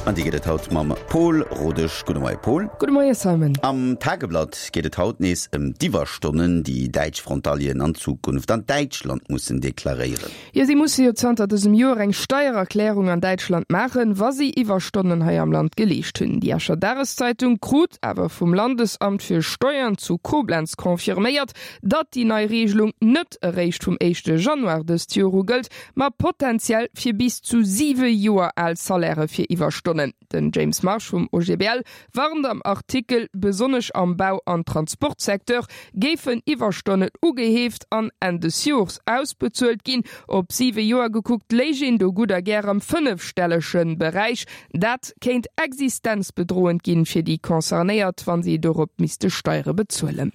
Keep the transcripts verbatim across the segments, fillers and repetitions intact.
An déi gëtt et haut mam Pol Rodesch. Gudde Moie Pol. Gudde Moie Simon. Am Tageblatt geet et haut nees ëm d'Iwwerstonnen, déi däitsch Frontalieren an Zukunft an Däitschland mussen deklaréieren. Jo, si musse jo zanter dësem Joer eng Steiererklärung an Däitschland maachen, wa si Iwwerstonnen hei am Land geleescht hunn. Déi Escher Dageszeitung krut awer vum Landesamt fir Steuern zu Koblenz confirméiert, datt déi nei Reegelung net eréischt vum éischte Januar dëst Joer u gëllt, ma potenziell fir bis zu siwe Joer al Salairë fir Iwwerstonnen. Den James Marsh vum O G B L warnt am Artikel, besonnesch am Bau an Transportsecteur géifen Iwwerstonnen ugeheeft an Enn des Jors ausbezuelt ginn. Op siwe Joer gekuckt léich een do gutt a gär am fënnefstellege Beräich. Dat kéint existenzbedroend ginn fir déi Concernéiert, wa si dorop misste Steiere bezuelen.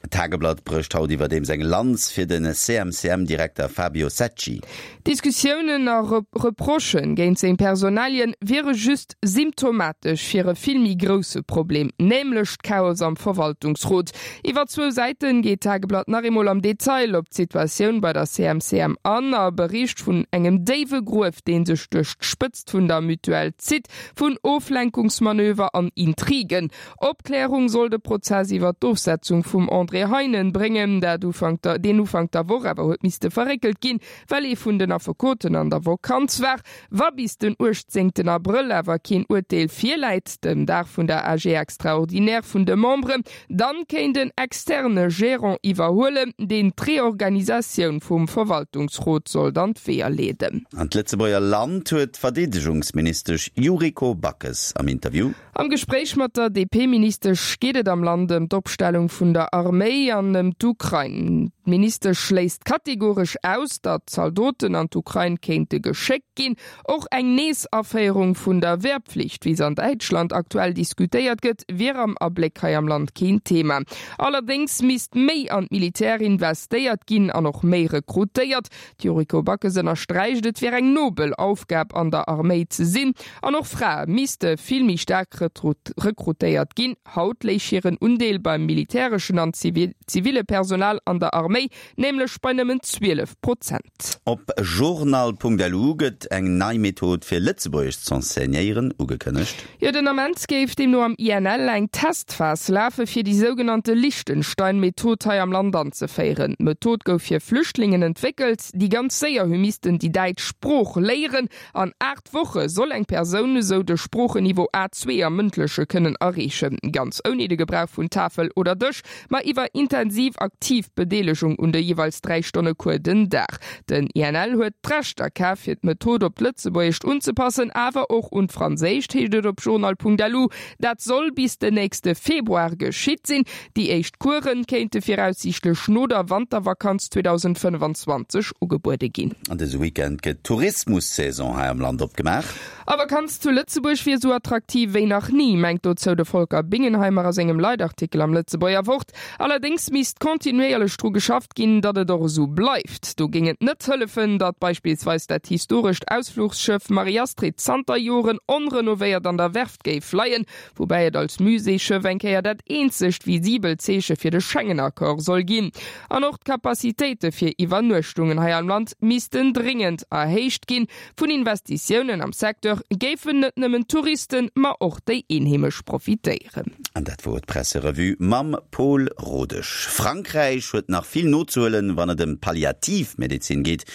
D'Tageblatt brécht haut iwwerdeems eng Lanz fir de C M C M-Direkter Fabio Secci. Diskussiounen a Reprochë géint seng Personalien wiere just symptomatesch fir e vill méi grousse Problem, nämlech d'Chaos am Verwaltungsrot. Iwwer zwou Säite geet d'Tageblatt nach eemol am Detail op d'Situatioun bei der C M C M an a bericht vun engem déiwe Gruef, dee sech duerch d'Spëtzt vun der Mutuelle zitt, vun Oflenkungsmanöver an Intrigen. Opklärung soll de Prozess iwwer d'Ofsetzung vum André Heinen bréngen, dat Ufank der, deen Ufank der Woch awer huet misste verréckelt ginn, well ee vun den Affekoten an der Vakanz war. Wa bis den uechtzéngten Abrëll awer keen Urteel virläit, dem Dag vun der A G extraordinaire vun de Memberen, dann kéint en externe Gérant iwwerhuelen, deen d'Reorganisatioun vum Verwaltungsrot soll dann d'Weeër leeden. An d'Lëtzebuerger Land huet d'Verdeedegungsministesch Yuriko Backes am Interview. Am Gespréich mat der D P-Ministesch geet et am Land ëm d'Opstellung vun der Arméi an ëm d'Ukrain. D'Ministesch schléisst kategoresch aus, datt Zaldoten an d'Ukrain kéinte geschéckt ginn. Och eng Neesaféierung vun der Wehrpflicht, wéi se an Däitschland aktuell diskutéiert gëtt, wier am Abléck hei am Land keen Thema. Allerdéngs misst méi an d'Militär investéiert ginn an och méi rekrutéiert. D'Yuriko Backes ënnersträicht, et wier eng nobel Aufgab an der Arméi ze sinn an och Frae misste vill méi staark rekrutéiert ginn. Haut léich hiren Undeel beim militäreschen an ziville Personal an der Arméi nämlech bei nëmmen zwielef Prozent. Op journal Punkt L U gëtt eng nei Method fir Lëtzebuergesch z'enseignéieren ugekënnegt. Jo, den Ament géif deemno am I N L eng Testphas lafe fir déi sougenannte Liechtenstein-Method hei am Land anzeféieren. D'Method gouf fir Flüchtlingen entwéckelt, déi ganz séier hu missten déi däitsch Sprooch léieren. An aacht Woche soll eng Persoun esou de Sproocheniveau A zwee am Mëndleche kënnen erreechen, ganz ouni de Gebrauch vun Tafel oder Dësch, ma iwwer intensiv aktiv Bedeelegung un de jeeweils dräi Stonne Cours den Dag. Den I N L huet d'Rechter kaf fir d'Method op d'Lëtzebuergescht unzepassen, awer och un d'Franséischt, heescht et op journal Punkt L U. Dat soll bis den nächste Februar geschitt sinn. Déi éischt Coursen kéinte viraussiichtlech no der Wantervakanz zweedausendfënnefanzwanzeg ugebuede ginn. An dëse Weekend gëtt d'Tourismussaison hei am Land opgemaach. A Vakanz zu Lëtzebuerg wier sou attraktiv wéi nach ni, mengt dozou de Volker Bingenheimer a sengem Leitartikel am Lëtzebuerger Wort. Allerdéngs misst kontinuéierlech dru geschafft ginn, datt et och esou bleift. Do géing et net hëllefen, datt beispillsweis dat historescht Ausfluchsschëff Marie-Astrid zanter Joren onrenovéiert an der Werft géif leien, woubäi et als Muséeschëff eng Kéier dat eenzegt visibelt Zeeche fir de Schengen-Accord soll ginn. An och d'Kapazitéite fir Iwwernuechtungen hei am Land missten dringend erhéicht ginn. Vun Investitiounen am Secteur géifen net nëmmen Touristen, ma och déi Eenheemesch profitéieren. An dat wor d'Presserevue mam Pol Rodesch. Frankräich huet nach vill nozehuelen, wann et ëm Palliativmedezin geet.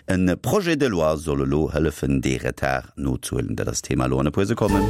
E Projet de loi soll elo hëllefen, dee Retard nozehuelen. Dat ass Thema elo an e puer Sekonnen.